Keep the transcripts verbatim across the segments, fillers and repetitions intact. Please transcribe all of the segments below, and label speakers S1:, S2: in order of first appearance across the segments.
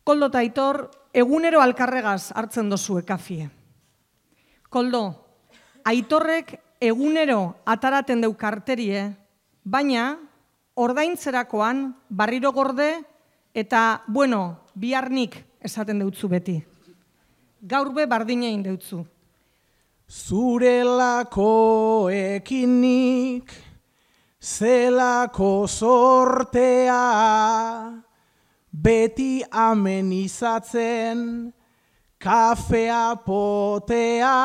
S1: Koldo eta Aitor, egunero alkarregaz hartzen dozue kafie. Koldo, Aitorrek egunero ataraten deu karterie, baina ordaintzerakoan barriro gorde eta, bueno, biharnik esaten deutzu beti. Gaur be bardinein deutzu.
S2: Zurelako ekinik, zelako sortea, beti amenizatzen, kafea potea,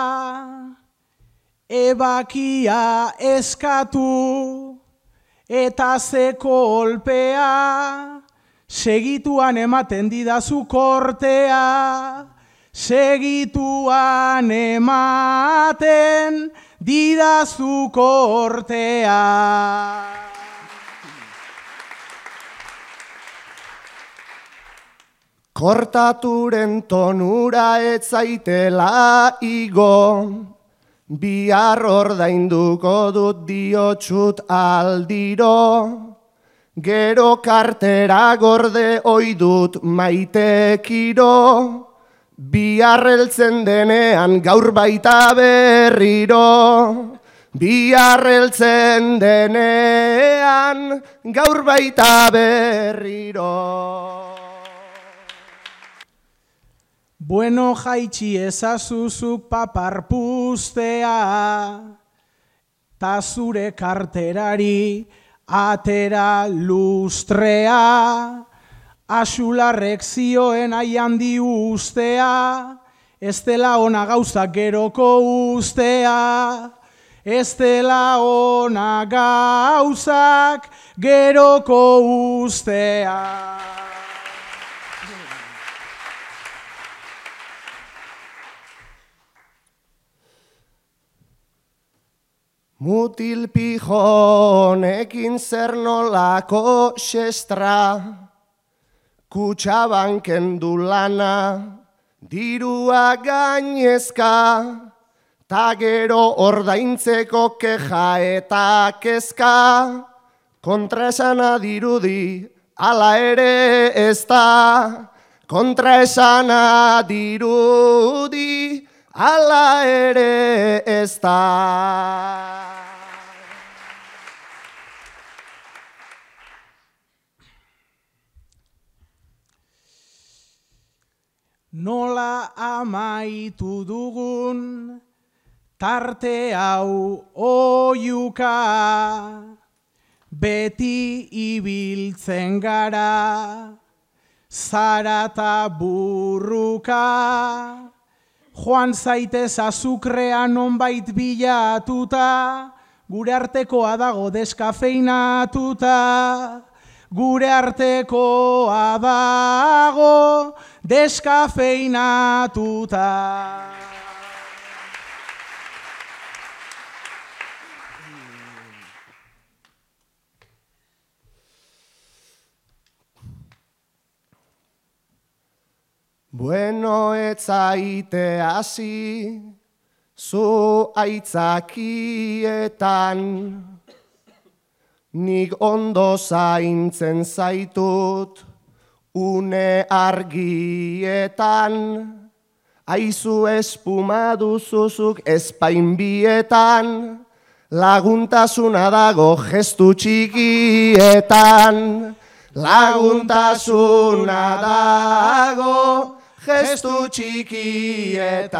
S2: ebakia eskatu, eta ze kolpea, segituan ematen didazu kortea, segituan ematen didazu kortea.
S3: Kortaturen tonura ez zaitela igo, bihar ordainduko dut diotxut aldiro, gero kartera gorde oidut maitekiro, bihar heltzen denean gaur baita berriro, bihar heltzen denean gaur baita berriro.
S2: Bueno jaitsi ezazuzuk paparpuztea, ta zure karterari atera lustrea, Axularrek zioen aian di ustea, ez dela ona gauzak geroko ustea, ez dela ona gauzak geroko ustea.
S3: Mutil pijonekin zer nolako xestra, Kutxabanken du lana, dirua gainezka, ta gero ordaintzeko keja eta kezka, kontraesana dirudi, ala ere ez da, kontraesana dirudi, ala ere ez da.
S2: Nola amaitu dugun tarte hau oiuka, beti ibiltzen gara, zarata burruka, joan zaitez azukrea nonbait bilatuta, gure artekoa dago deskafeinatuta, gure artekoa dago deskafeinatuta.
S3: Bueno, ez zaite hasi, zu aitzakietan, nik ondo zaintzen zaitut, une argietan, aizu espuma duzuzuk espainbietan, laguntasuna dago gestu txikietan, laguntasuna dago gestu txikietan.